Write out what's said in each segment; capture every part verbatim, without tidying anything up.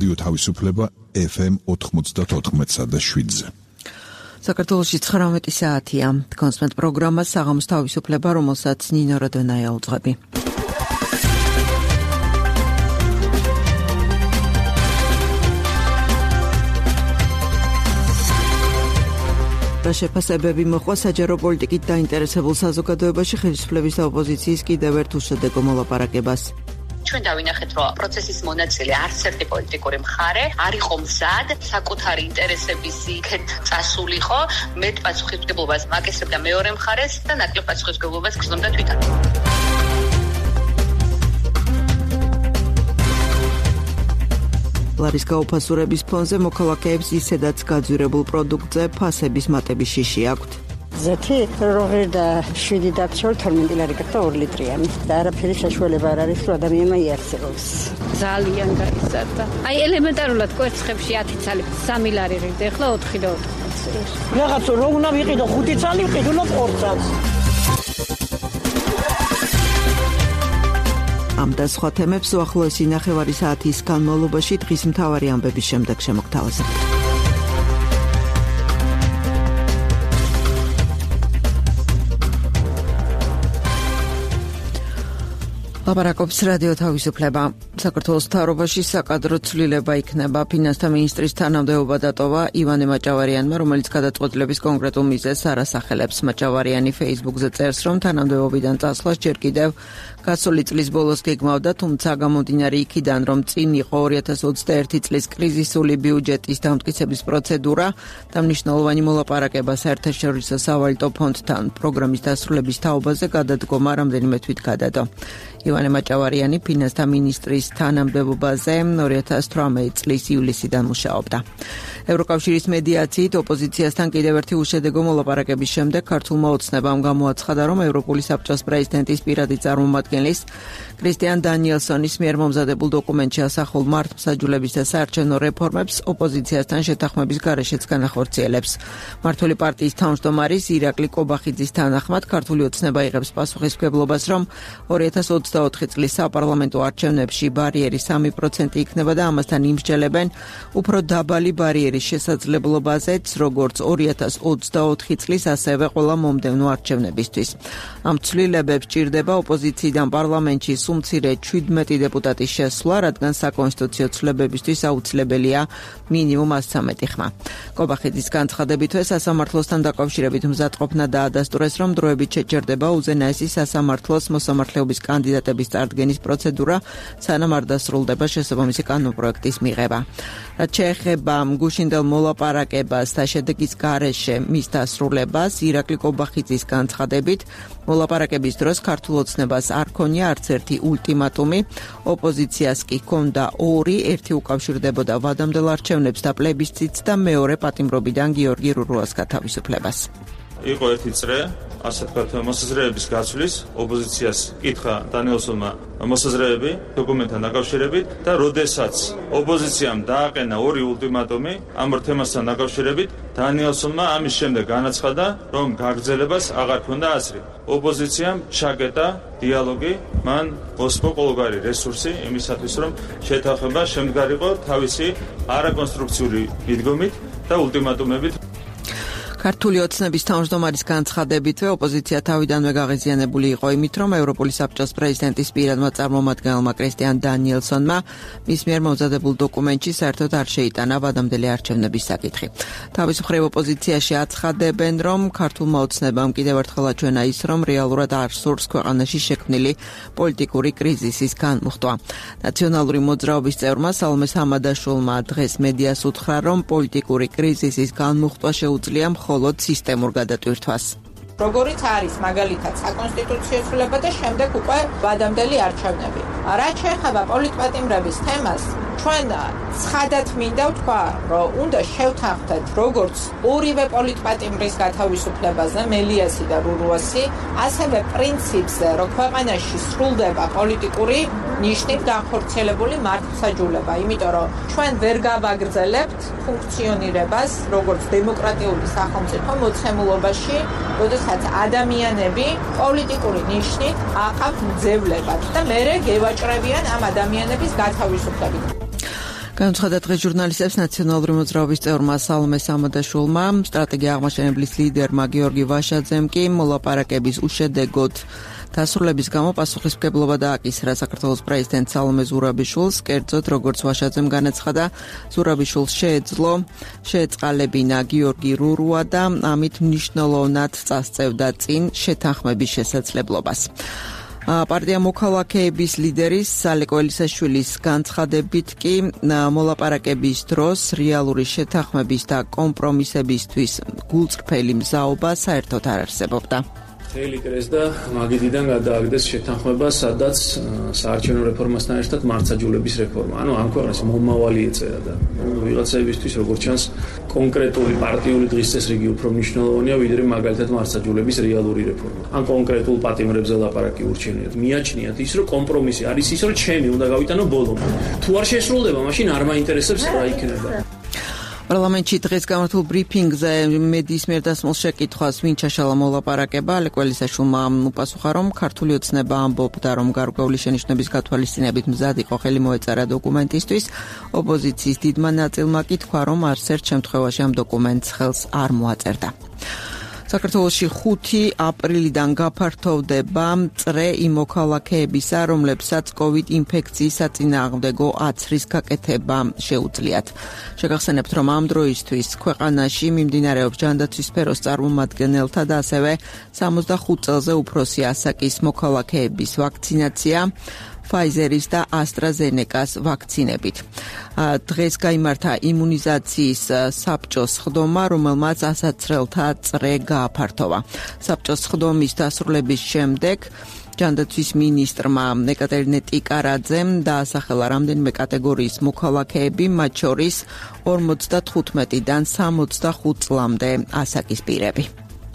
რადიო თავისუფლება ეფ ემ ოთხმოცდაოთხ და შვიდზე. საქართველოში ცხრამეტი საათია. კონსმენტ პროგრამა საღამოს თავისუფლება, რომელსაც ნინო როდონაია უძღვები. რა შეფასებები მოხდა საჯარო პოლიტიკით დაინტერესებულ საზოგადოებაში ხელისუფლების და ოპოზიციის კიდევ ერთ უშედეგო მოლაპარაკებას. ჩვენ დავინახეთ, რომ პროცესის მონაწილე არც ერთი პოლიტიკური მხარე არ იყო მზად საკუთარი ინტერესების იქეთ წასულიყო, მეტ პასუხისმგებლობას მაკისრებდა მეორე მხარეს და ნაკლებ პასუხისმგებლობას გრძნობდა თვითონ. ლარის გაუფასურების ფონზე მოქალაქეებს ისედაც გაძვირებულ პროდუქტზე ფასების მატების შიში აქვთ. ზეთი როღერ და შვიდი დაქცევ თორმეტი ლარი გახდა ორი ლიტრიანი და არაფერი საშუალება არ არის რომ ადამიანმა იარსებოს. ძალიან გაიზარდა. აი ელემენტარულად კვერცხებში ათი ცალი სამი ლარი რიგდა, ახლა ოთხი და ოთხი. რაღაც რო უნდა ვიყიდო ხუთი ცალი ვიყიდო ორ წელს. ამ და სხვა თემებს უახლოესი ნახევარი საათის განმავლობაში დღის მთავარი ამბების შემდეგ შემოგთავაზებთ. ლაპარაკობს რადიო თავისუფლება. საქართველოს მთავრობაში საკადრო ცვლილება იქნება. ფინანსთა მინისტრის თანამდებობა დატოვა ივანე მაჭავარიანმა, რომელიც გადაწყვეტილების კონკრეტულ მიზეზს არ ასახელებს. მაჭავარიანი Facebook-ზე წერს, რომ თანამდებობიდან წასვლას ჯერ კიდევ გასული წლის ბოლოს გეგმავდა, თუმცა გამომდინარე იქიდან, რომ წინ იყო ორი ათას ოცდაერთი წლის კრიზისული ბიუჯეტის დამტკიცების პროცედურა და მნიშვნელოვანი მოლაპარაკება საერთაშორისო სავალუტო ფონდთან პროგრამის დასრულების თაობაზე, გადადგომა რამდენიმე თვით გადადო. ივანე მაჭავარიანი ფინანსთა მინისტრის თანამდებობაზე ორი ათას თვრამეტი წლის ივლისიდან მუშაობდა. ევროკავშირის მედიაციით ოპოზიციასთან კიდევ ერთი უშედეგო მოლაპარაკების შემდეგ ქართულმა ოცნებამ გამოაცხადა, რომ ევროპული საბჭოს პრეზიდენტის პირადი წარმომადგენლის კრისტიან დანიელსონის მიერ მომზადებულ დოკუმენტში ასახულ მართლმსაჯულების და საარჩევნო რეფორმებს ოპოზიციასთან შეთანხმების გარეშეც განახორციელებს. მართული პარტიის თავმჯდომარის ირაკლი კობახიძის თანახმად ქართული ოცნება იღებს პასუხისმგებლობას, რომ ორი ათას ოცდაოთხი წლის საპარლამენტო არჩევნებში ბარიერი სამი პროცენტი იქნება და ამასთან იმსჯელებენ უფრო დაბალი ბარიერის შესაძლებლობაზეც, როგორც ორი ათას ოცდაოთხი წლის, ასევე ყველა მომდევნო არჩევნებისთვის. ამ ცვლილებებს ჭირდება ოპოზიციიდან პარლამენტში სულ მცირე შვიდმეტი დეპუტატის შესვლა, რადგან საკონსტიტუციო ცვლილებებისთვის აუცილებელია მინიმუმ ასცამეტი ხმა. კობახიძის განცხადებითვე სასამართლოსთან დაკავშირებით მზადყოფნა დაადასტურეს, რომ დროებით შეჩერდება უზენაესი სასამართლოს მოსამართლეობის კანდიდატების წარდგენის პროცედურა, სანამ არ დასრულდება შესაბამისი კანონპროექტის მიღება. რაც შეეხება გუშინდელ მოლაპარაკებას და შედეგის გარეშე მის დასრულებას, ირაკლი კობახიძის განცხადებით, მოლაპარაკების დროს ქართულ ოცნებას არ ქონია არც ერთი ულტიმატუმი, ოპოზიციას კი ჰქონდა ორი, ერთი უკავშირდებოდა ვადამდელ არჩევნებს და პლებისციტს და მეორე პატიმრობიდან გიორგი რურუას გათავისუფლებას. იყო ერთი წრე, ასე თქვათ, მოსაზრეების გაცვლის, ოპოზიციას კითხა დანიელსონმა მოსაზრეები დოკუმენტთან დაკავშირებით და როდესაც ოპოზიციამ დააყენა ორი ულტიმატუმი ამ თემასთან დაკავშირებით, დანიელსონმა ამის შემდეგ განაცხადა, რომ გაგრძელებას აღარ ქონდა აზრი. ოპოზიციამ ჩაკეტა დიალოგი, მან მოსპო ყოველგვარი რესურსი იმისათვის, რომ შეთანხმება შემდგარიყო თავისი არაკონსტრუქციული მიდგომით და ულტიმატუმებით. ქართული ოცნების თავმჯდომარის განცხადებითვე ოპოზიცია თავიდანვე გაღიზიანებული იყო იმით, რომ ევროპული საბჭოს პრეზიდენტის პირადმა წარმომადგენელმა კრისტიან დანიელსონმა მის მიერ მომზადებულ დოკუმენტში საერთოდ არ შეიტანა ვადამდელი არჩევნების საკითხი. თავის მხრივ ოპოზიციაში აცხადებენ, რომ ქართულმა ოცნებამ კიდევ ერთხელ აჩვენა ის, რომ რეალურად არ სურს ქვეყანაში შექმნილი პოლიტიკური კრიზისის განმუხტვა. ნაციონალური მოძრაობის წევრმა სალომე სამადაშვილმა დღეს მედიას უთხრა, რომ პოლიტიკური კრიზისის განმუხტვა შეუძლია მხოლოდ სისტემურ გადატვირთვას. როგორიც არის მაგალითად საკონსტიტუციო ცვლილება და შემდეგ უკვე ვადამდელი არჩევნები. რაც შეეხება პოლიტპატიმრების თემას, ჩვენ ცხადად მინდა ვთქვა, რომ უნდა შევთანხმდეთ როგორც ორივე პოლიტპატიმრის გათავისუფლებაზე, მელიასი და რურუასი, ასევე პრინციპზე, რომ ქვეყანაში სრულდება პოლიტიკური ნიშნით განხორციელებული მართლმსაჯულება, იმიტომ რომ ჩვენ ვერ გავაგრძელებთ ფუნქციონირებას როგორც დემოკრატიული სახელმწიფო მოცემულობაში, როდესაც ადამიანები პოლიტიკური ნიშნით აყავთ მძევლებად და მერე გევაჭრებიან ამ ადამიანების გათავისუფლებით. განაცხადა დღეს ჟურნალისტებს ნაციონალური მოძრაობის წევრმა სალომე სამადაშვილმა, სტრატეგია აღმაშენებლის ლიდერმა გიორგი ვაშაძემ კი მოლაპარაკების უშედეგოდ დასრულების გამო პასუხისმგებლობა დააკისრა საქართველოს პრეზიდენტ სალომე ზურაბიშვილს, კერძოდ როგორც ვაშაძემ განაცხადა, ზურაბიშვილს შეეძლო შეეწყალებინა გიორგი რურუა და ამით მნიშვნელოვნად წასწევდა წინ შეთანხმების შესაძლებლობას. პარტია მოქალაქეების ლიდერის ალეკო ელისაშვილის განცხადებით კი მოლაპარაკების დროს რეალური შეთანხმების და კომპრომისებისთვის გულწრფელი მზაობა საერთოდ არ არსებობდა. მთელი კრეს და მაგიდიდან გადააგდეს შეთანხმება, სადაც საარჩევნო რეფორმასთან ერთად მართლმსაჯულების რეფორმა. ანუ ამ ქვეყნის მომავალი ეწერა და ვიღაცაებისთვის როგორც ჩანს კონკრეტული პარტიული დღის წესრიგი უფრო მნიშვნელოვანია, ვიდრე მაგალითად მართლმსაჯულების რეალური რეფორმა. ან კონკრეტულ პატიმრებზე ლაპარაკი ურჩენიათ. მიაჩნიათ ის, რომ კომპრომისი არის ის, რომ ჩემი უნდა გავიტანო ბოლომდე. თუ არ შესრულდება, მაშინ არ მაინტერესებს რა იქნება. პარლამენტში დღეს გამართულ ბრიფინგზე მედიის მიერ დასმულ შეკითხვას ვინ ჩაშალა მოლაპარაკება, ალეკო ელისაშვილმა უპასუხა, რომ ქართული ოცნება ამბობდა, რომ გარკვეული შენიშვნების გათვალისწინებით მზად იყო ხელი მოეწარა დოკუმენტისთვის. ოპოზიციის დიდმა ნაწილმა კი თქვა, რომ არც ერთ შემთხვევაში ამ დოკუმენტს ხელს არ მოაწერდა. საქართველოში ხუთი აპრილიდან გაფართოვდება წრე იმ მოქალაქეებისა, რომლებსაც კოვიდ ინფექციის საწინააღმდეგო აცრის გაკეთება შეუძლიათ. შეგახსენებთ, რომ ამ დროისთვის ქვეყანაში მიმდინარეობს ჯანდაცვის სფეროს წარმომადგენელთა და ასევე სამოცდახუთ წელზე უფროსი ასაკის მოქალაქეების ვაქცინაცია Pfizeris და AstraZeneca-ს ვაქცინებით. დღეს გაიმართა იმუნიზაციის საბჭოს ხდომა, რომელმაც ასაცრელთა წრე გააფართოვა. საბჭოს ხდომის დასრულების შემდეგ ჯანდაცვის მინისტრმა ეკატერინე ტიკარაძემ დაასახელა რამდენიმე კატეგორიის მოქალაქეები, მათ შორის ორმოცდათხუთმეტიდან სამოცდახუთ წლამდე ასაკის პირები.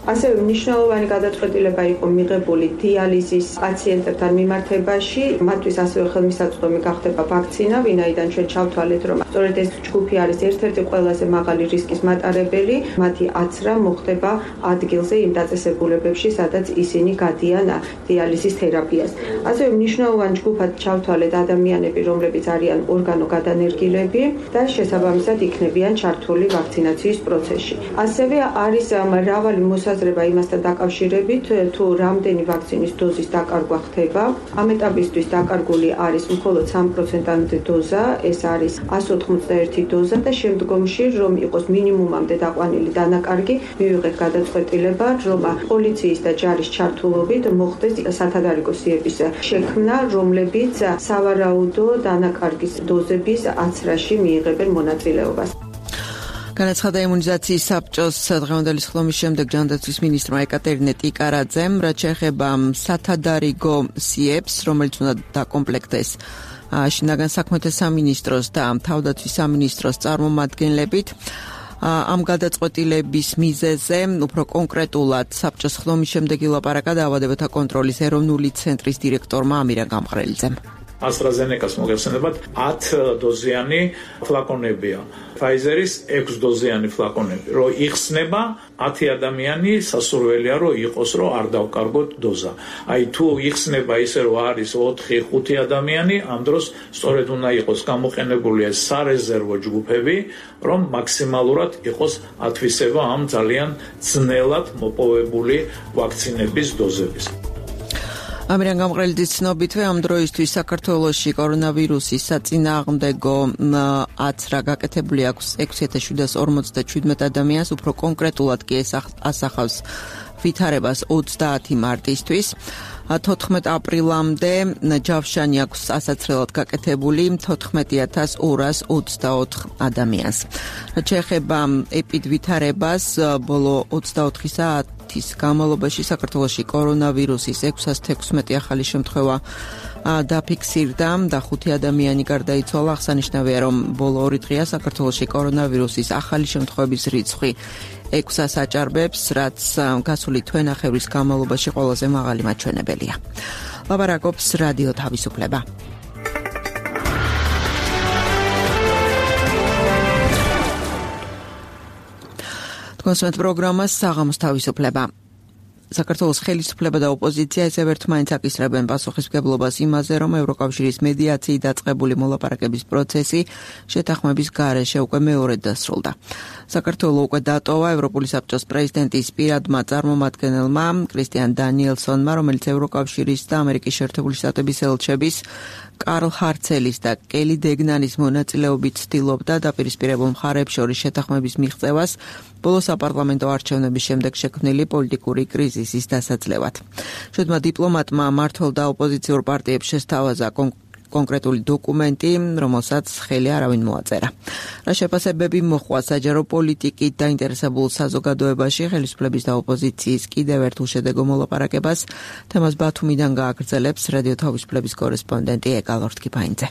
ასევე მნიშვნელოვანი გადაწყვეტილება იყო მიღებული დიალიზის პაციენტებთან მიმართებაში, მათთვის ასევე ხელმისაწვდომი გახდება ვაქცინა, ვინაიდან ჩვენ ჩავთვალეთ, რომ სწორედ ეს ჯგუფი არის ერთ-ერთი ყველაზე მაღალი რისკის მატარებელი, მათი აცრა მოხდება ადგილზე იმ დაწესებულებებში, სადაც ისინი გადიან დიალიზის თერაპიას. ასევე მნიშვნელოვანი ჯგუფად ჩავთვალეთ ადამიანები, რომლებიც არიან ორგანოგადანერგილები და შესაბამისად იქნებიან ჩართული ვაქცინაციის პროცესში. ასევე არის მრავალი მოსაზრება იმასთან დაკავშირებით, თუ რამდენი ვაქცინის დოზის დაკარგვა ხდება. ამ ეტაპისთვის დაკარგული არის მხოლოდ სამი პროცენტამდე დოზა, ეს არის ასი ოთხმოცდაერთი დოზა და შემდგომში, რომ იყოს მინიმუმამდე დაყვანილი დანაკარგი, მივიღეთ გადაწყვეტილება, რომ პოლიციის და ჯარის ჩართულობით მოხდეს სათადარიგო სიების შექმნა, რომლებიც სავარაუდო დანაკარგის დოზების აცრაში მიიღებენ მონაწილეობას. განაცხადა იმუნიზაციის საბჭოს დღევანდელი სხდომის შემდეგ ჯანდაცვის მინისტრმა ეკატერინე ტიკარაძემ, რაც შეეხება სათადარიგო სიებს, რომელიც უნდა დაკომპლექტდეს შინაგან საქმეთა სამინისტროს და თავდაცვის სამინისტროს წარმომადგენლებით. ამ გადაწყვეტილების მიზეზზე უფრო კონკრეტულად საბჭოს სხდომის შემდეგ ილაპარაკა დაავადებათა კონტროლის ეროვნული ცენტრის დირექტორმა ამირან გამყრელიძემ. AstraZeneca-ს მოგეხსენებათ ათი დოზიანი ფლაკონებია. Pfizer-ის ექვსი დოზიანი ფლაკონები. Რო იხსნება ათი ადამიანი სასურველია რომ იყოს რომ არ დავკარგოთ დოზა. Აი თუ იხსნება ისე რომ არის ოთხი ხუთი ადამიანი, ამ დროს სწორედ უნდა იყოს გამოყენებული ეს სარეზერვო ჯგუფები, რომ მაქსიმალურად იყოს ათვისება ამ ძალიან ძნელად მოპოვებული ვაქცინების დოზების. ამირან გამყრელიძის ცნობითვე ამ დროისთვის საქართველოში კორონავირუსის საწინააღმდეგო აცრა გაკეთებული აქვს ექვსი ათას შვიდას ორმოცდაჩვიდმეტ ადამიანს, უფრო კონკრეტულად კი ეს ასახავს ვითარებას ოცდაათი მარტისთვის. თოთხმეტ აპრილამდე ჯავშანი აქვს ასაცრელად გაკეთებული თოთხმეტი ათას ორას ოცდაოთხ ადამიანს. რაც შეეხება ეპიდვითარებას, ბოლო ოცდაოთხი საათის განმავლობაში საქართველოში კორონავირუსის ექვსას თექვსმეტი ახალი შემთხვევა დაფიქსირდა და ხუთი ადამიანი გარდაიცვალა. აღსანიშნავია, რომ ბოლო ორი დღეა საქართველოში კორონავირუსის ახალი შემთხვევების რიცხვი ექვსას აჭარბებს, რაც გასული თვენახევრის განმავლობაში ყველაზე მაღალი მაჩვენებელია. ლაპარაკობს რადიო თავისუფლება. თქვენს პროგრამას საღამოს თავისუფლება. საქართველოს ხელისუფლება და ოპოზიცია ისევ ერთმანეთს აკისრებენ პასუხისმგებლობას იმაზე, რომ ევროკავშირის მედიაციით დაწყებული მოლაპარაკების პროცესი შეთანხმების გარეშე უკვე მეორედ დასრულდა. საქართველოს უკვე დატოვა ევროპული საბჭოს პრეზიდენტის პირადმა წარმომადგენელმა კრისტიან დანიელსონმა, რომელიც ევროკავშირის და ამერიკის შეერთებული შტატების ელჩების კარლ ჰარცელის და კელი დეგნანის მონაწილეობით ცდილობდა დაპირისპირებულ მხარეებს შორის შეთანხმების მიღწევას ბოლო საპარლამენტო არჩევნების შემდეგ შექმნილი პოლიტიკური კრიზისის დასაძლევად. შვედმა დიპლომატმა მმართველ და ოპოზიციურ პარტიებს შესთავაზა კონკრეტული დოკუმენტი, რომელსაც ხელი არავინ მოაწერა. რა შეფასებები მოჰყვა საჯარო პოლიტიკით დაინტერესებულ საზოგადოებაში ხელისუფლების და ოპოზიციის კიდევ ერთ უშედეგო მოლაპარაკებას, თემას ბათუმიდან გააგრძელებს რადიო თავისუფლების კორესპონდენტი ეკალორთ კიფაინძე.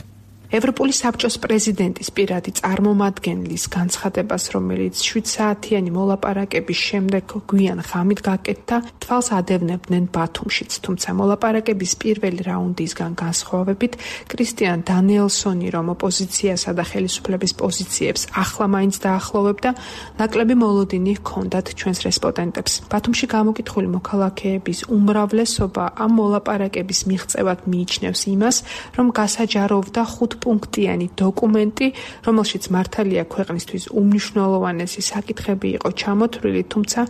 ევროპული საბჭოს პრეზიდენტის პირადი წარმომადგენლის განცხადებას, რომელიც შვიდ საათიანი მოლაპარაკების შემდეგ გვიან ღამით გაკეთდა, თვალს ადევნებდნენ ბათუმშიც, თუმცა მოლაპარაკების პირველი რაუნდისგან განსხვავებით, კრისტიან დანიელსონი, რომ ოპოზიციასა და ხელისუფლების პოზიციებს ახლა მაინც დაახლოვებდა, ნაკლები მოლოდინი ჰქონდათ ჩვენს რესპონდენტებს. ბათუმში გამოკითხული მოქალაქეების უმრავლესობა ამ მოლაპარაკების მიღწევად მიიჩნევს იმას, რომ გასაჯაროვდა ხუთ პუნქტიანი დოკუმენტი, რომელშიც მართალია ქვეყნისთვის უმნიშვნელოვანესი საკითხები იყო ჩამოთვლილი, თუმცა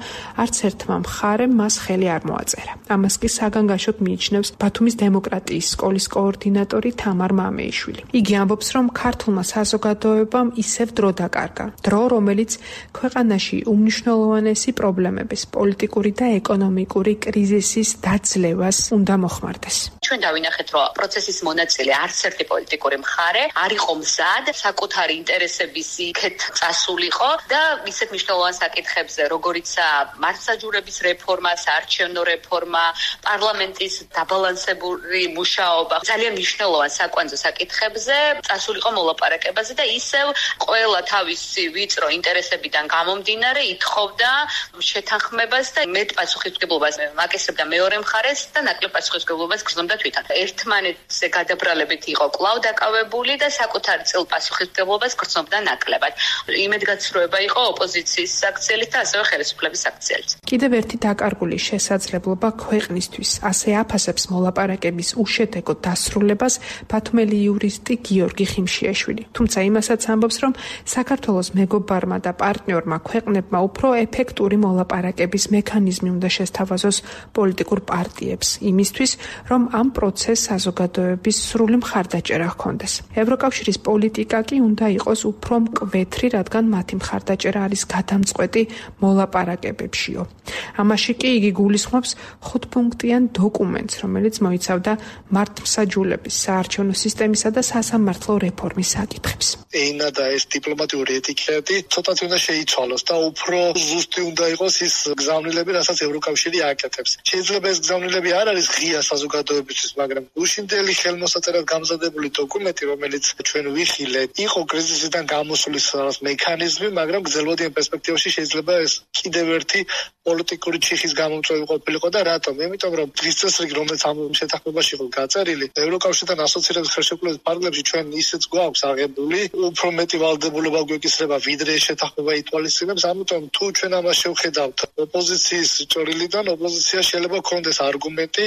არც ერთმა მხარემ მას ხელი არ მოაწერა. ამას კი საგანგაშოდ მიიჩნევს ბათუმის დემოკრატიის სკოლის კოორდინატორი თამარ მამეიშვილი. იგი ამბობს, რომ ქართულმა საზოგადოებამ ისევ დრო დაკარგა, დრო, რომელიც ქვეყანაში უმნიშვნელოვანესი პრობლემების, პოლიტიკური და ეკონომიკური კრიზისის დაძლევას უნდა მოხმარდეს. ჩვენ დავინახეთ, რომ პროცესის მონაწილე არც ერთი პოლიტიკური მხარე არ იყო მზად საკუთარი ინტერესების იქეთ წასულიყო და ისეთ მნიშვნელოვან საკითხებზე, როგორიცაა მართლმსაჯულების რეფორმა, საარჩევნო რეფორმა, პარლამენტის დაბალანსებული მუშაობა, ძალიან მნიშვნელოვან საკვანძო საკითხებზე წასულიყო მოლაპარაკებაზე და ისევ ყველა თავისი ვიწრო ინტერესებიდან გამომდინარე ითხოვდა შეთანხმებას და მეტ პასუხისმგებლობას მაკისრებდა მეორე მხარეს და ნაკლებ პასუხისმგებლობას გრძნობდა თვითონ. ერთმანეთზე გადაბრალებით იყო კვლავ დაკავებული და საკუთარი წილ პასუხისმგებლობას გრძნობდა ნაკლებად. იმედგაცრუება იყო ოპოზიციის საქციელით და ასევე ხელისუფლების საქციელით. კიდევ ერთი დაკარგული შესაძლებლობა ქვეყნისთვის ასე აფასებს მოლაპარაკების უშედეგო დასრულებას ბათუმელი იურისტი გიორგი ხიმშიაშვილი. თუმცა იმასაც ამბობს, რომ საქართველოს მეგობარმა და პარტნიორმა ქვეყნებმა უფრო ეფექტური მოლაპარაკების მექანიზმი უნდა შესთავაზოს პოლიტიკურ პარტიებს იმისთვის, რომ ამ პროცესს საზოგადოების სრული მხარდაჭერა ჰქონდეს. ევროკავშირის პოლიტიკა კი უნდა იყოს უფრო მკვეთრი, რადგან მათი მხარდაჭერა არის გადამწყვეტი მოლაპარაკებებშიო. ამაში კი იგი გულისხმობს ხუთპუნქტიან დოკუმენტს, რომელიც მოიცავდა მართლმსაჯულების, საარჩევნო სისტემისა და სასამართლო რეფორმის საკითხებს. ენა და ეს დიპლომატიური ეტიკეტი ცოტათი უნდა შეიცვალოს და უფრო ზუსტი უნდა იყოს ის გზავნილები, რასაც ევროკავშირი აკეთებს. შეიძლება ეს გზავნილები არ არის ღია საზოგადოებისთვის, მაგრამ უშინდელი ხელმოსაწერად გამზადებული დოკუმენტი, რომელიც ჩვენ ვიხილეთ, იყო კრიზისიდან გამოსulis მექანიზმი, მაგრამ გრძელვადიან პერსპექტივაში შეიძლება ეს კიდევ ერთი პოლიტიკური ჩიხის გამომწვევი ყოფილიყო და რატომ? იმიტომ რომ დღის წესრიგი, რომელიც ამ შეთანხმებაში იყო გაწერილი, ევროკავშირთან ასოცირების ხელშეკრულების ფარგლებში ჩვენ ისეც გვაქვს აღებული, უფრო მეტი ვალდებულება გვეკისრება, ვიდრე შეთანხმება ითვალისწინებს, ამიტომ თუ ჩვენ ამას შევხედავთ ოპოზიციის ჭრილიდან, ოპოზიცია შეიძლება ქონდეს არგუმენტი,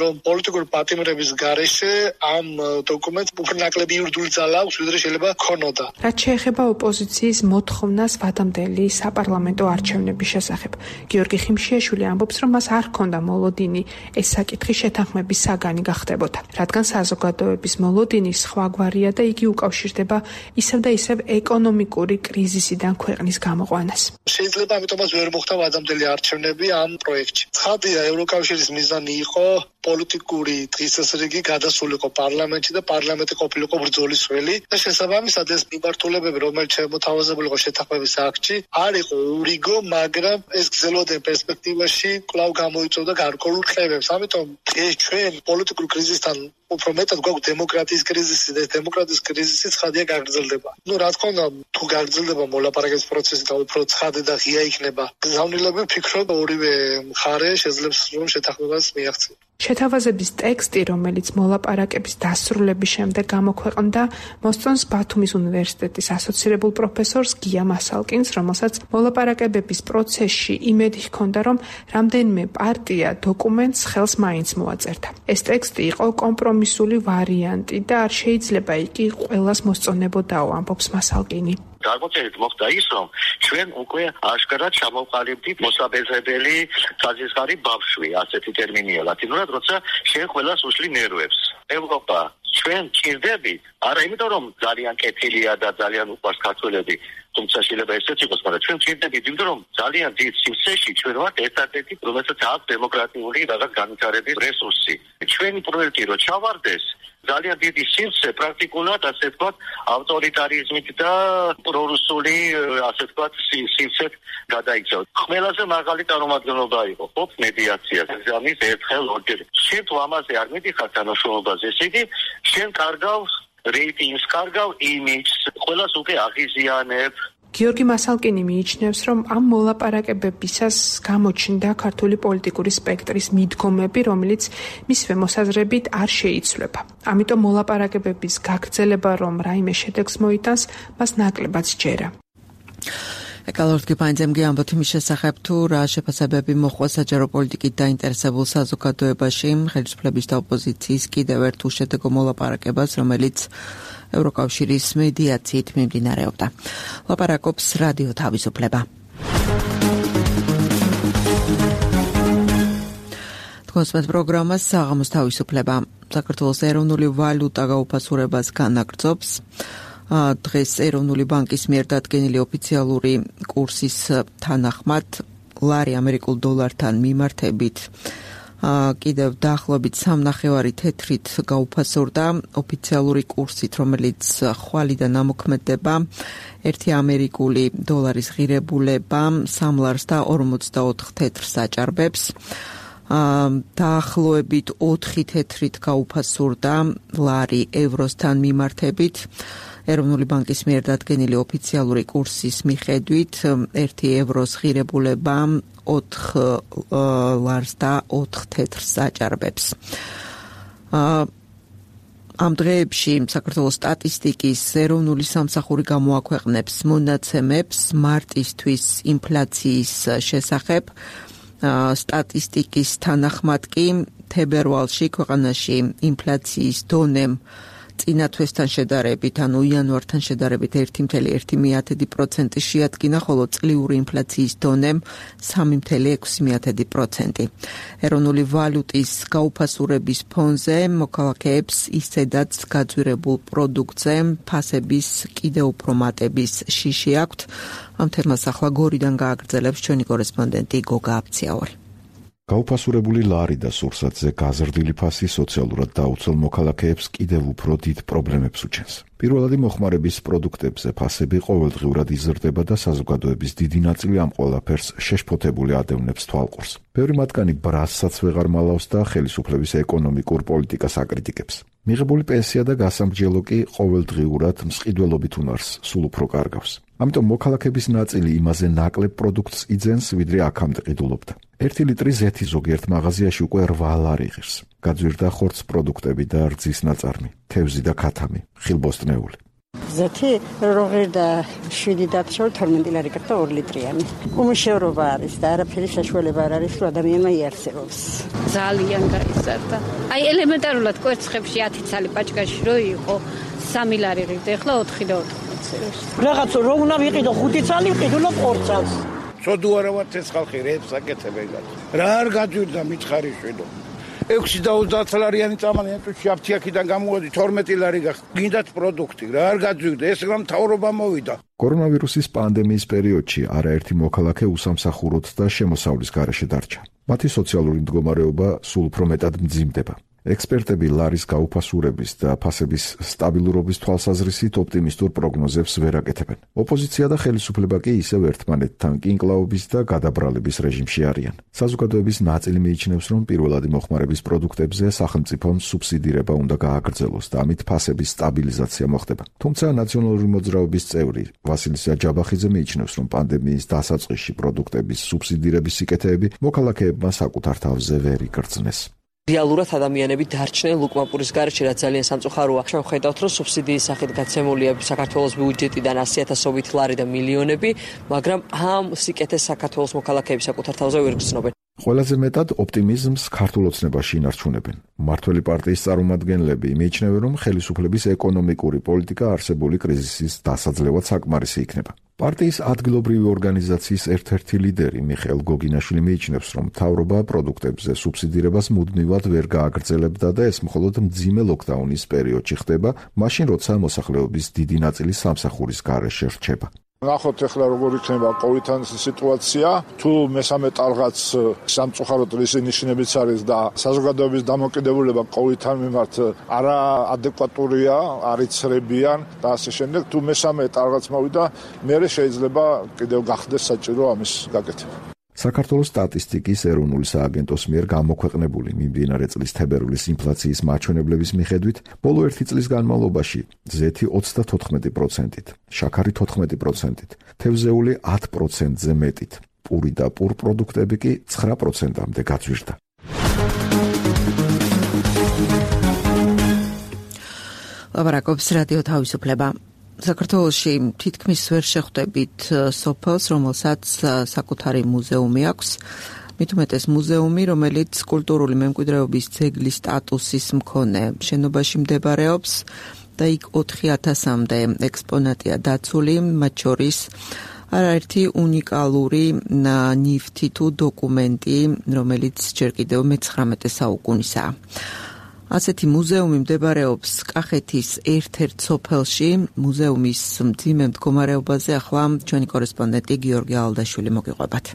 რომ პოლიტიკური პატიმრების გარეშე ამ დოკუმენტს უფრო ნაკლები იურიდიული ძალა აქვს, ვიდრე შეიძლება ქონოდა. რაც შეეხება ოპოზიციის მოთხოვნას ვადამდელი საპარლამენტო არჩევნების შესახებ, გიორგი ხიმშიაშვილი ამბობს, რომ მას არ ჰქონდა მოლოდინი ეს საკითხი შეთანხმების საგანი გახდებოდა, რადგან საზოგადოების მოლოდინი სხვაგვარია და იგი უკავშირდება ისევ და ისევ ეკონომიკური კრიზისიდან ქვეყნის გამოყვანას. შეიძლება ამიტომაც ვერ მოხდა ვადამდელი არჩევნები ამ პროექტში. ცხადია, ევროკავშირის მიზანი იყო პოლიტიკური დღის წესრიგი გადასულიყო პარლამენტში და პარლამენტი ყოფილიყო ბრძოლის ველი და შესაბამისად ეს მიმართულებები, რომელიც შემოთავაზებული იყო შეთანხმების აქტში, არ იყო ურიგო, მაგრამ ეს გრძელვადიან პერსპექტივაში კვლავ გამოიწვევდა გარკვეულ რხევებს. ამიტომ დღეს ჩვენ პოლიტიკურ კრიზისთან უფრო მეტად გვაქვს დემოკრატიის კრიზისი და დემოკრატიის კრიზისი ცხადია გაგრძელდება. ნუ რა თქმა უნდა, თუ გაგრძელდება მოლაპარაკების პროცესი და უფრო ცხადი და ღია იქნება გზავნილები, ვფიქრობ ორივე მხარე შეძლებს რომ შეთანხმებას მიაღწიოს. შეთავაზების ტექსტი, რომელიც მოლაპარაკების დასრულების შემდეგ გამოქვეყნდა, მოსწონს ბათუმის უნივერსიტეტის ასოცირებულ პროფესორს გია მასალკინს, რომელსაც მოლაპარაკებების პროცესში იმედი ჰქონდა, რომ რამდენიმე პარტია დოკუმენტს ხელს მაინც მოაწერდა. ეს ტექსტი იყო კომპრომისული ვარიანტი და არ შეიძლება იგი ყველას მოსწონებოდაო, ამბობს მასალკინი. Გარკვეულწილად მოხდა ის, რომ ჩვენ უკვე აშკარად ჩამოვყალიბდით მოსაბეზრებელი საზისხარი ბავშვი, ასეთი ტერმინი ლათინურად, როცა შენ ყველას უშლი ნერვებს. ევროპა ჩვენ ჭირდებით, არა იმიტომ რომ ძალიან კეთილია და ძალიან უყვარს ქართველები, თუმცა შეიძლება ესეც იყოს, მაგრამ ჩვენ ჭირდებით იმიტომ რომ ძალიან დიდ სივრცეში ჩვენ ვართ ერთადერთი, რომელსაც აქვს დემოკრატიული რაღაც განვითარების რესურსი. ჩვენი პროექტი რო ჩავარდეს ძალიან დიდი სივრცე პრაქტიკულად, ასე ვთქვათ, ავტორიტარიზმით და პრორუსული, ასე ვთქვათ, სივრცეთ გადაიქცა. ყველაზე მაღალი წარმომადგენლობა იყო ხop მედიაციაზე, ამის ერთხელ ორჯერ. შენ თუ ამაზე არ მიდიხარ თანამშრომლობაზე, ესე იგი, შენ კარგავ რეიტინგს, კარგავ იმიჯს, ყველას უკვე აღიზიანებ. გიორგი მასალკინი მიიჩნევს, რომ ამ მოლაპარაკებებისას გამოჩნდა ქართული პოლიტიკური სპექტრის მიდგომები, რომელიც მისვე მოსაზრებით არ შეიცვლება. ამიტომ მოლაპარაკებების გაგრძელება, რომ რაიმე შედეგს მოიტანს, მას ნაკლებად სჯერა. ეკალორდ გიფაინძემ ამბობთ იმის შესახებ, თუ რა შეფასებები მოჰყვა საჯარო პოლიტიკით დაინტერესებულ საზოგადოებაში ხელისუფლების და ოპოზიციის კიდევ ერთ უშედეგო მოლაპარაკებას, რომელიც ევროკავშირის მედიაციით მიმდინარეობდა. ლაპარაკობს რადიო თავისუფლება. თქვენს პროგრამას საღამოს თავისუფლება. საქართველოს ეროვნული ვალუტა გაუფასურებას განაგრძობს. დღეს ეროვნული ბანკის მიერ დადგენილი ოფიციალური კურსის თანახმად ლარი ამერიკულ დოლართან მიმართებით კიდევ დაახლოებით სამნახევარი თეთრით გაუფასურდა ოფიციალური კურსით, რომელიც ხვალიდან ამოქმედება ერთი ამერიკული დოლარის ღირებულება სამ ლარს და ორმოცდაოთხ თეთრს აჭარბებს. დაახლოებით ოთხი თეთრით გაუფასურდა ლარი ევროსთან მიმართებით. ეროვნული ბანკის მიერ დადგენილი ოფიციალური კურსის მიხედვით ერთი ევროს ღირებულება ოთხ ლარს და ოთხ თეთრს აჭარბებს. ამ დღეებში საქართველოს სტატისტიკის ეროვნული სამსახური გამოაქვეყნებს მონაცემებს მარტისთვის ინფლაციის შესახებ. სტატისტიკის თანახმად კი თებერვალში ქვეყანაში ინფლაციის დონემ წინა თვესთან შედარებით, ანუ იანვართან შედარებით ერთი კoma ერთი პროცენტი შეადგინა, ხოლო წლიური ინფლაციის დონემ სამი კoma ექვსი პროცენტი. ეროვნული ვალუტის გაუფასურების ფონზე მოქალაქეებს ისედაც გაძვირებულ პროდუქტზე ფასების კიდევ უფრო მატების შიში აქვთ. ამ თემას ახლა გორიდან გააგრძელებს ჩვენი კორესპონდენტი გოგა აფციაური. გაუფასურებული ლარი და სურსათზე გაზრდილი ფასი სოციალურად დაუცველ მოქალაქეებს კიდევ უფრო დიდ პრობლემებს უჩენს. პირველადი მოხმარების პროდუქტებზე ფასები ყოველდღიურად იზრდება და საზოგადოების დიდი ნაწილი ამ ყველაფერს შეშფოთებული ადევნებს თვალყურს. ბევრი მათგანი ბრასსაც ვეღარ მალავს და ხელისუფლების ეკონომიკურ პოლიტიკას აკრიტიკებს. მიღებული პენსია და გასამრჯელო კი ყოველდღიურად მსყიდველობით უნარს სულ უფრო კარგავს. ამიტომ მოქალაქეების ნაწილი იმაზე ნაკლებ პროდუქტს იძენს, ვიდრე აქამდე ყიდულობდა. ერთი ლიტრი ზეთი ზოგიერთ მაღაზიაში უკვე რვა ლარი ღირს. გაძვირდა ხორც პროდუქტები და რძის ნაწარმი, თევზი და ქათამი, ხილბოსტნეული. ზეთი როღერ და შვიდი დათშორ თორმეტი ლარი გახდა ორი litrიანი. უმუშევრობა არის და არაფერი საშუალება არ არის, რომ ადამიანმა იარსებობს. ძალიან გაიზარდა. აი ელემენტარულად კვერცხებში ათი ცალი პაჭკაში რო იყო სამი ლარი ღირდა, ახლა ოთხი და ოთხი. რაღაც რო უნდა ვიყიდო ხუთი ცალი, ვიყიდულობ ორ წელს. ცოდუ არა ვართ ეს ხალხი რეებს აკეთებენ. რა არ გაძვირდა მითხარი შვიდო. ექვსი და ოცდაათ ლარიანი წამალი ნეტუში აფთიაქიდან გამოვედი თორმეტი ლარი გახდა. გინდათ პროდუქტი, რა არ გაძვირდა, ეს რა მთავრობა მოვიდა. კორონავირუსის პანდემიის პერიოდში არაერთი მოქალაქე უსამსახუროდ და შემოსავლის გარეშე დარჩა. მათი სოციალური მდგომარეობა სულ უფრო მეტად მძიმდება. ექსპერტები ლარის გაუფასურების და ფასების სტაბილურობის თვალსაზრისით ოპტიმისტურ პროგნოზებს ვერ აკეთებენ. ოპოზიცია და ხელისუფლება კი ისევ ერთმანეთთან კინკლაობის და გადაბრალების რეჟიმში არიან. საზოგადოების ნაწილი მიიჩნევს, რომ პირველადი მოხმარების პროდუქტებზე სახელმწიფომ სუბსიდირება უნდა გააგრძელოს და ამით ფასების სტაბილიზაცია მოხდება. თუმცა ნაციონალური მოძრაობის წევრი ვასილი საჯაბახიძე მიიჩნევს, რომ პანდემიის დასაწყისში პროდუქტების სუბსიდირების სიკეთეები მოქალაქეებმა საკუთარ თავზე ვერ იგრძნეს. რეალურად ადამიანები დარჩნენ ლუკმაპურის გარეშე, რაც ძალიან სამწუხაროა. ჩვენ ხედავთ, რომ სუბსიდიის სახით გაცემულია საქართველოს ბიუჯეტიდან ასი ათასობით ლარი და მილიონები, მაგრამ ამ სიკეთეს საქართველოს მოქალაქეები საკუთარ თავზე ვერ გრძნობენ. ყველაზე მეტად ოპტიმიზმს ქართულ ოცნებაში ინარჩუნებენ. მმართველი პარტიის წარმომადგენლები მიიჩნევენ, რომ ხელისუფლების ეკონომიკური პოლიტიკა არსებული კრიზისის დასაძლევად საკმარისი იქნება. პარტიის ადგილობრივი ორგანიზაციის ერთ-ერთი ლიდერი მიხეილ გოგინაშვილი მიიჩნევს, რომ მთავრობა პროდუქტებზე სუბსიდირებას მუდმივად ვერ გააგრძელებდა და ეს მხოლოდ მძიმე ლოკდაუნის პერიოდში ხდება, მაშინ როცა მოსახლეობის დიდი ნაწილი სამსახურის გარეშე რჩება. ნახოთ ახლა როგორ იქნება კოვიდთან სიტუაცია, თუ მესამე ტალღაც სამწუხაროდ რისი ნიშნებიც არის და საზოგადოების დამოკიდებულება კოვიდთან მიმართ არა ადეკვატურია, არიცრებიან და ასე შემდეგ, თუ მესამე ტალღაც მოვიდა, მერე შეიძლება კიდევ გახდეს საჭირო ამის გაკეთება. საქართველოს სტატისტიკის ეროვნული სააგენტოს მიერ გამოქვეყნებული მიმდინარე წლის თებერვლის ინფლაციის მაჩვენებლების მიხედვით, ბოლო ერთი წლის განმავლობაში ზეთი ოცდათოთხმეტი პროცენტით, შაქარი თოთხმეტი პროცენტით, თევზეული ათ პროცენტზე მეტით, პური და პურ პროდუქტები კი ცხრა პროცენტამდე გაძვირდა. ლაპარაკობს რადიო თავისუფლება. საქართველოში თითქმის ვერ შეხვდებით სოფელს, რომელსაც საკუთარი მუზეუმი აქვს. მით უმეტეს მუზეუმი, რომელიც კულტურული მემკვიდრეობის ძეგლის სტატუსის მქონე შენობაში მდებარეობს და იქ ოთხი ათასამდე ექსპონატია დაცული, მათ შორის არაერთი უნიკალური ნივთი თუ დოკუმენტი, რომელიც ჯერ კიდევ მეცხრამეტე საუკუნისაა. ასეთი მუზეუმი მდებარეობს კახეთის ერთ-ერთ სოფელში. მუზეუმის მძიმე მდგომარეობაზე ახლა ჩვენი კორესპონდენტი გიორგი ალდაშვილი მოგიყვებათ.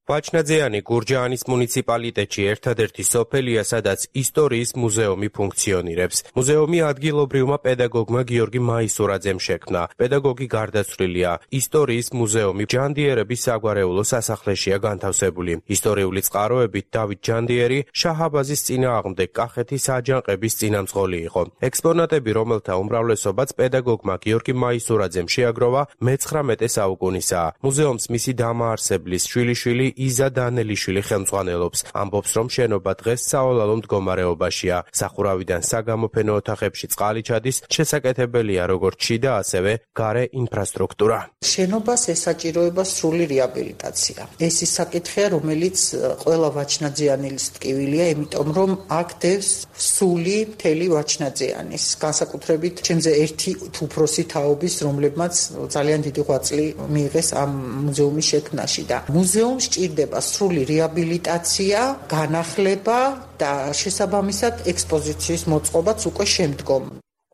ვაჩნაძიანი გურჯაანის მუნიციპალიტეტში ერთადერთი სოფელია, სადაც ისტორიის მუზეუმი ფუნქციონირებს. მუზეუმი ადგილობრივმა პედაგოგმა გიორგი მაისურაძემ შექმნა. პედაგოგი გარდაცვლილია. ისტორიის მუზეუმი ჯანდიერების საგვარეულო სასახლეშია განთავსებული. ისტორიული წყაროებით დავით ჯანდიერი შაჰაბაზის წინააღმდეგ კახეთის აჯანყების წინამძღოლი იყო. ექსპონატები, რომელთა უმრავლესობაც პედაგოგმა გიორგი მაისურაძემ შეაგროვა, მეცხრამეტე საუკუნისაა. მუზეუმს მისი დამაარსებლის შვილიშვილი იზა დანელიშვილი ხელმძღვანელობს. ამბობს, რომ შენობა დღეს საოლალო მდგომარეობაშია. სახურავიდან საგამოფენო ოთახებში წყალი ჩადის, შესაკეთებელია როგორც შიდა, ასევე გარე ინფრასტრუქტურა. შენობას ესაჭიროება სრული რეაბილიტაცია. ეს ის საკითხია, რომელიც ყველა ვაჩნაძიანის ტკივილია, იმიტომ რომ აქ დევს სული მთელი ვაჩნაძიანის. განსაკუთრებით ჩემზე ერთი უფროსი თაობის, რომლებმაც ძალიან დიდი ღვაწლი მიიღეს ამ მუზეუმის შექმნაში და მუზეუმს ჭირდება სრული რეაბილიტაცია, განახლება და შესაბამისად ექსპოზიციის მოწყობაც უკვე შემდგომ.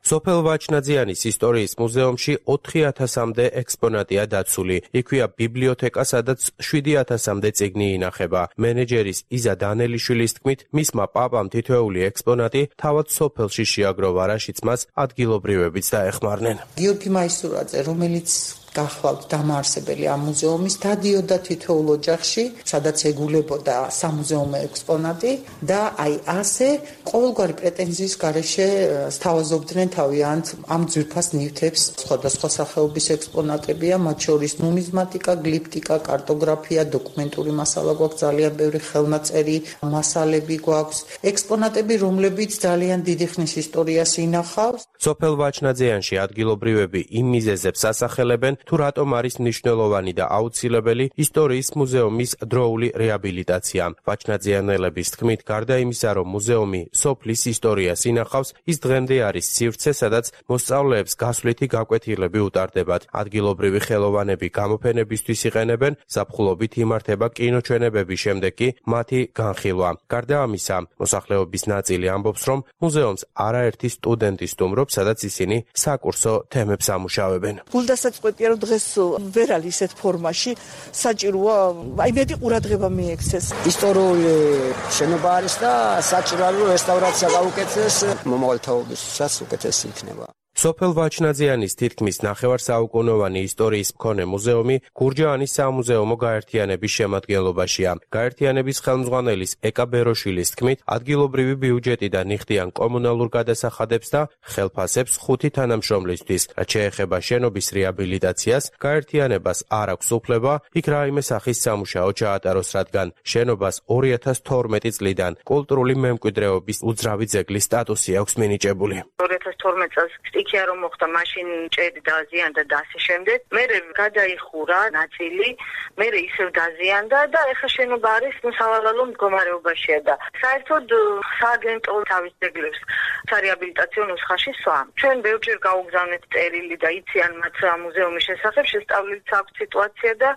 სოფელ ვაჩნაძიანის ისტორიის მუზეუმში ოთხი ათასამდე ექსპონატია დაცული. იქვეა ბიბლიოთეკა, სადაც შვიდი ათასამდე წიგნი ინახება. მენეჯერის იზა დანელიშვილის თქმით, მისმა პაპამ თითოეული ექსპონატი თავად სოფელში შეაგროვა, რაშიც მას ადგილობრივებიც დაეხმარნენ. გიორგი მაისურაძე, რომელიც გახლავთ დამაარსებელი ამ მუზეუმის, დადიოდა თითოეულ ოჯახში, სადაც ეგულებოდა სამუზეუმო ექსპონატი და აი ასე ყოველგვარი პრეტენზიის გარეშე სთავაზობდნენ თავიანთ ამ ძვირფას ნივთებს. სხვადასხვა სახეობის ექსპონატებია, მათ შორის ნუმიზმატიკა, გლიფტიკა, კარტოგრაფია, დოკუმენტური მასალა გვაქვს, ძალიან ბევრი ხელნაწერი მასალები გვაქვს, ექსპონატები, რომლებიც ძალიან დიდი ხნის ისტორიას ინახავს. სოფელ ვაჩნაძიანში ადგილობრივები იმ მიზეზებს ასახელებენ, თუ რატომ არის მნიშვნელოვანი და აუცილებელი ისტორიის მუზეუმის დროული რეაბილიტაცია. ვაჩნაძიანელების თქმით, გარდა იმისა, რომ მუზეუმი სოფლის ისტორიას ინახავს, ის დღემდე არის სივრცე, სადაც მოსწავლეებს გასვლითი გაკვეთილები უტარდებათ. ადგილობრივი ხელოვანები გამოფენებისთვის იყენებენ, ზაფხულობით იმართება კინოჩვენებების შემდეგ კი მათი განხილვა. გარდა ამისა, მოსახლეობის ნაწილი ამბობს, რომ მუზეუმს არაერთი სტუდენტი სტუმრობს, სადაც ისინი საკურსო თემებს ამუშავებენ. გულდასაწყვეტია, რომ დღეს ვერ არის ისეთ ფორმაში, საჭიროა აი მეტი ყურადღება მიექცეს. ისტორიული შენობა არის და საჭიროა რომ რესტავრაცია გაუკეთდეს, მომავალ თაობისას უკეთესი იქნება. სოფელ ვაჩნაძიანის თითქმის ნახევარსაუკუნოვანი ისტორიის მქონე მუზეუმი გურჯაანის სამუზეუმო გაერთიანების შემადგენლობაშია. გაერთიანების ხელმძღვანელის ეკა ბეროშილის თქმით, ადგილობრივი ბიუჯეტიდან იხდიან კომუნალურ გადასახადებს და ხელფასებს ხუთი თანამშრომლისთვის. რაც შეეხება შენობის რეაბილიტაციას, გაერთიანებას არ აქვს უფლება იქ რაიმე სახის სამუშაო ჩაატაროს, რადგან შენობას ორი ათას თორმეტი წლიდან კულტურული მემკვიდრეობის უძრავი ძეგლის სტატუსი აქვს მინიჭებული. ორი ათას თორმეტი წელს იქია რომ მოხდა მაშინ ჭერი დაზიანდა და ასე შემდეგ. მერე გადაიხურა ნაწილი, მერე ისევ დაზიანდა და ეხლა შენობა არის სავალალო მდგომარეობაშია და საერთოდ სააგენტო თავის ძეგლებს სარეაბილიტაციო ნუსხაში სვამ. ჩვენ ბევრჯერ გაუგზავნეთ წერილი და იციან მათ მუზეუმის შესახებ, შესწავლილიც აქვს სიტუაცია და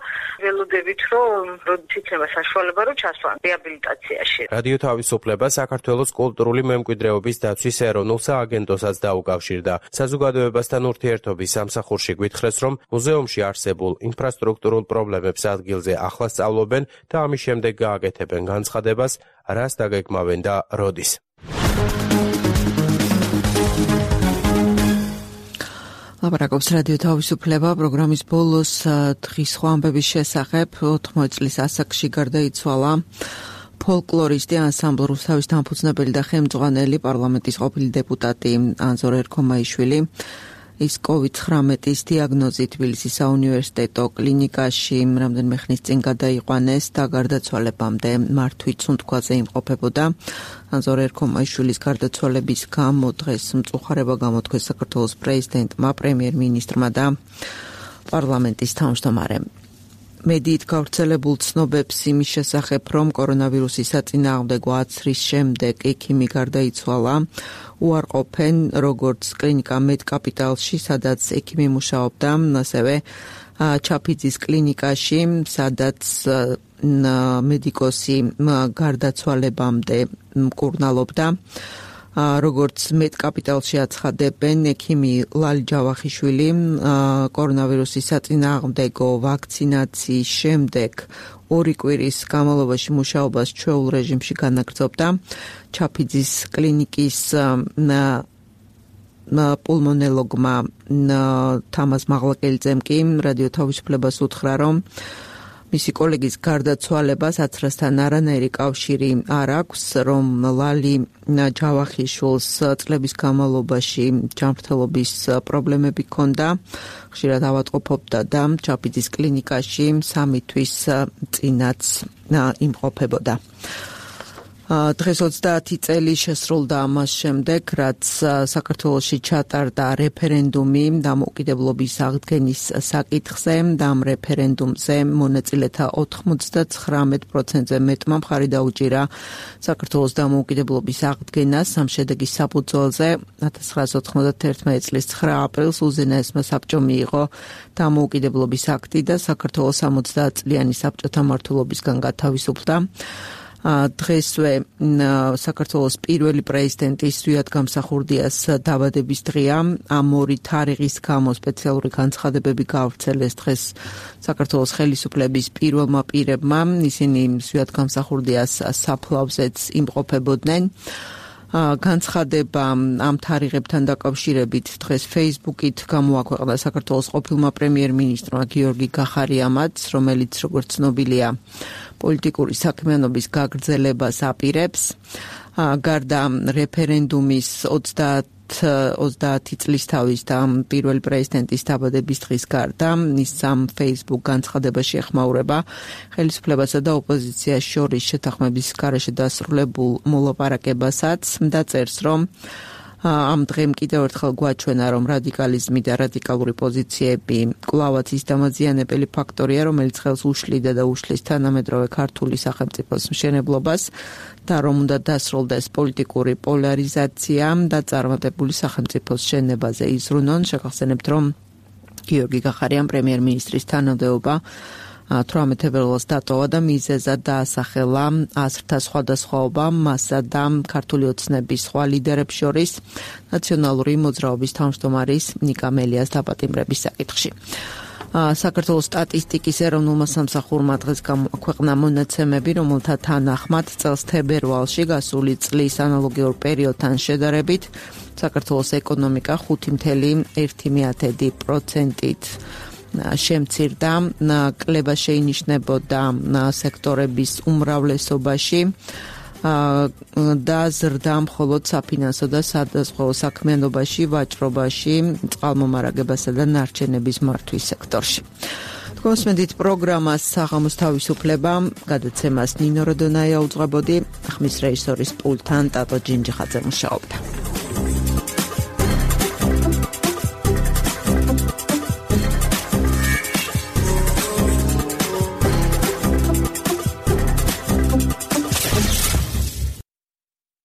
ველოდებით რომ როდის იქნება საშუალება რომ ჩასვან რეაბილიტაციაში. რადიო თავისუფლება საქართველოს კულტურული მემკვიდრეობის დაცვის ეროვნულ სააგენტოსაც დაუკავშირდა. საზოგადოებასთან ურთიერთობის სამსახურში გვითხრეს, რომ მუზეუმში არსებულ ინფრასტრუქტურულ პრობლემებს ადგილზე ახლა სწავლობენ და ამის შემდეგ გააკეთებენ განცხადებას, რას დაგეგმავენ და როდის. ლაპარაკობს რადიო თავისუფლება პროგრამის ბოლოს დღის სხვა ამბების შესახებ. ოთხმოცი წლის ასაკში გარდაიცვალა ფოლკლორისტი, ანსამბლ რუსთავის დამფუძნებელი და ხელმძღვანელი, პარლამენტის ყოფილი დეპუტატი ანზორ ერქომაიშვილი. ის კოვიდ ცხრამეტის დიაგნოზით თბილისის საუნივერსიტეტო კლინიკაში რამდენიმე ხნის წინ გადაიყვანეს და გარდაცვალებამდე მართვით სუნთქვაზე იმყოფებოდა. ანზორ ერქომაიშვილის გარდაცვალების გამო დღეს მწუხარება გამოთქვეს საქართველოს პრეზიდენტმა, პრემიერ-მინისტრმა და პარლამენტის თავმჯდომარემ. მედიით გავრცელებულ ცნობებს იმის შესახებ, რომ კორონავირუსის საწინააღმდეგო აცრის შემდეგ ექიმი გარდაიცვალა, უარყოფენ როგორც კლინიკა მედკაპიტალში, სადაც ექიმი მუშაობდა, ასევე ჩაფიძის კლინიკაში, სადაც მედიკოსი გარდაცვალებამდე მკურნალობდა. როგორც მედკაპიტალში აცხადებენ, ექიმი ლალი ჯავახიშვილი კორონავირუსის საწინააღმდეგო ვაქცინაციის შემდეგ ორი კვირის განმავლობაში მუშაობას ჩვეულ რეჟიმში განაგრძობდა. ჩაფიძის კლინიკის პულმონოლოგმა თამაზ მაღლაკელიძემ კი რადიო თავისუფლებას უთხრა, რომ მისი კოლეგის გარდაცვალებას აცრასთან არანაირი კავშირი არ აქვს, რომ ლალი ჯავახიშვილს წლების განმავლობაში ჯანმრთელობის პრობლემები ჰქონდა, ხშირად ავადმყოფობდა და ჩაფიძის კლინიკაში სამი თვის წინაც იმყოფებოდა. დღეს ოცდაათი წელი შესრულდა ამას შემდეგ, რაც საქართველოში ჩატარდა რეფერენდუმი დამოუკიდებლობის აღდგენის საკითხზე და ამ რეფერენდუმზე მონაწილეთა ოთხმოცდათხრამეტ პროცენტზე მეტმა მხარი დაუჭირა საქართველოს დამოუკიდებლობის აღდგენას. ამ შედეგის საფუძველზე ათას ცხრაასი ოთხმოცდაათი წლის ცხრა აპრილს უზენაესმა საბჭომ მიიღო დამოუკიდებლობის აქტი და საქართველოს ორმოცდაათ წლიანი საბჭოთა მმართველობისგან გათავისუფლდა. დღესვე საქართველოს პირველი პრეზიდენტის ზვიად გამსახურდიას დაბადების დღეა. ამ ორი თარიღის გამო სპეციალური განცხადებები გავრცელეს დღეს საქართველოს ხელისუფლების პირველმა პირებმა. ისინი ზვიად გამსახურდიას საფლავზეც იმყოფებოდნენ. განცხადება ამ თარიღებთან დაკავშირებით დღეს Facebook-ით გამოაქვეყნა საქართველოს ყოფილმა პრემიერ-მინისტრმა გიორგი გახარიამაც, რომელიც როგორც ცნობილია პოლიტიკური საქმიანობის გაგრძელებას აპირებს. გარდა რეფერენდუმის ოცდაათი წლის თავის და პირველი პრეზიდენტის დაბადების დღის გარდა, ის ამ Facebook განცხადებაში ეხმაურება ხელისუფლებასა და ოპოზიციას შორის შეთანხმების გარეშე დასრულებულ მოლაპარაკებასაც და წერს, რომ ამ დღემ კიდევ ერთხელ გვაჩვენა, რომ რადიკალიზმი და რადიკალური პოზიციები კვლავაც ის დამაზიანებელი ფაქტორია, რომელიც ხელს უშლიდა და უშლის თანამედროვე ქართული სახელმწიფოს მშენებლობას და რომ უნდა დასრულდეს პოლიტიკური პოლარიზაცია და წარმატებული სახელმწიფოს შენობაზე იზრუნონ. შეგახსენებთ, რომ გიორგი გახარიამ პრემიერ-მინისტრის თანამდებობა თვრამეტ თებერვალს დატოვა და მიზეზად დაასახელა აზრთა სხვადასხვაობა მასა და ქართული ოცნების სხვა ლიდერებს შორის ნაციონალური მოძრაობის თავმჯდომარის ნიკა მელიას დაპატიმრების საკითხში. საქართველოს სტატისტიკის ეროვნულმა სამსახურმა დღეს გამოაქვეყნა მონაცემები, რომელთა თანახმად წელს თებერვალში გასული წლის ანალოგიურ პერიოდთან შედარებით საქართველოს ეკონომიკა ხუთი კoma ერთი პროცენტით შემცირდა. კლება შეინიშნებოდა სექტორების უმრავლესობაში და ზრდა მხოლოდ საფინანსო და სადაზღვევო საქმიანობაში, ვაჭრობაში, წყალმომარაგებასა და ნარჩენების მართვის სექტორში. თქვენსმენდით პროგრამას საღამოს თავისუფლება, გადაცემას ნინო როდონაია უძღვებოდი, ხმის რეჟისორის პულტთან ტატო ჯინჯიხაძე მუშაობდა.